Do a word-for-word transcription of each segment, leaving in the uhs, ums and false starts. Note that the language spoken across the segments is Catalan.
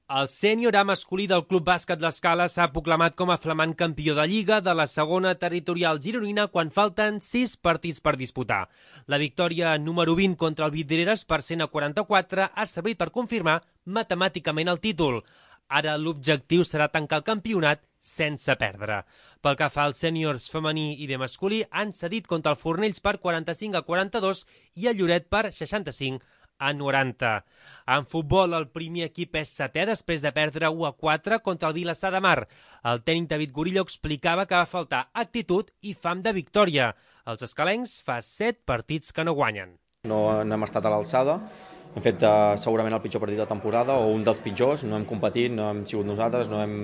El sènior A masculí del Club Bàsquet L'Escala s'ha proclamat com a flamant campió de Lliga de la segona territorial gironina quan falten sis partits per disputar. La victòria número vint contra el Vidreres per cent a quaranta-quatre ha servit per confirmar matemàticament el títol. Ara l'objectiu serà tancar el campionat sense perdre. Pel que fa als sèniors femení i B masculí, han cedit contra el Fornells per quaranta-cinc a quaranta-dos i el Lloret per seixanta-cinc a noranta. En futbol, el primer equip és setè després de perdre u a quatre contra el Vilassar de Mar. El tècnic David Gorillo explicava que va faltar actitud i fam de victòria. Els escalencs fa set partits que no guanyen. No, no hem estat a l'alçada, hem fet uh, segurament el pitjor partit de temporada o un dels pitjors, no hem competit, no hem sigut nosaltres, no hem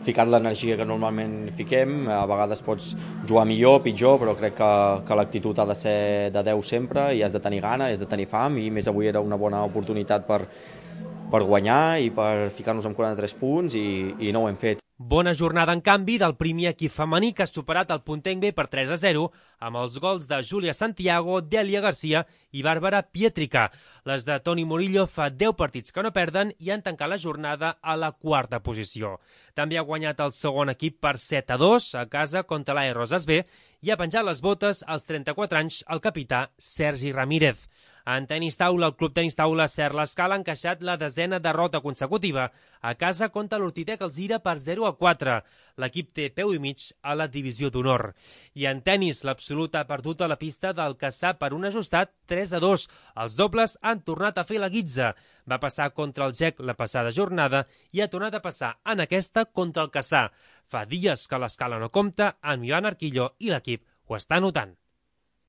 ficat l'energia que normalment fiquem, a vegades pots jugar millor, pitjor, però crec que, que l'actitud ha de ser de deu sempre i has de tenir gana, has de tenir fam, i més avui era una bona oportunitat per, per guanyar i per ficar-nos amb quaranta-tres punts i, i no ho hem fet. Bona jornada, en canvi, del primer equip femení que ha superat el Puntenc B per tres a zero amb els gols de Júlia Santiago, Dèlia Garcia i Bàrbara Pietrica. Les de Toni Murillo fa deu partits que no perden i han tancat la jornada a la quarta posició. També ha guanyat el segon equip per set a dos a casa contra l'A E Roses B i ha penjat les botes als trenta-quatre anys el capità Sergi Ramírez. En tenis taula, el Club Tenis Taula Ser l'Escala ha encaixat la desena derrota consecutiva a casa contra l'Hortitec Alzira per zero a quatre. L'equip té peu i mig a la divisió d'honor. I en tenis, l'Absolut ha perdut a la pista del Cassà per un ajustat tres a dos. Els dobles han tornat a fer la guitza. Va passar contra el G E C la passada jornada i ha tornat a passar en aquesta contra el Cassà. Fa dies que l'Escala no compta amb Ivan Arquillo i l'equip ho està notant.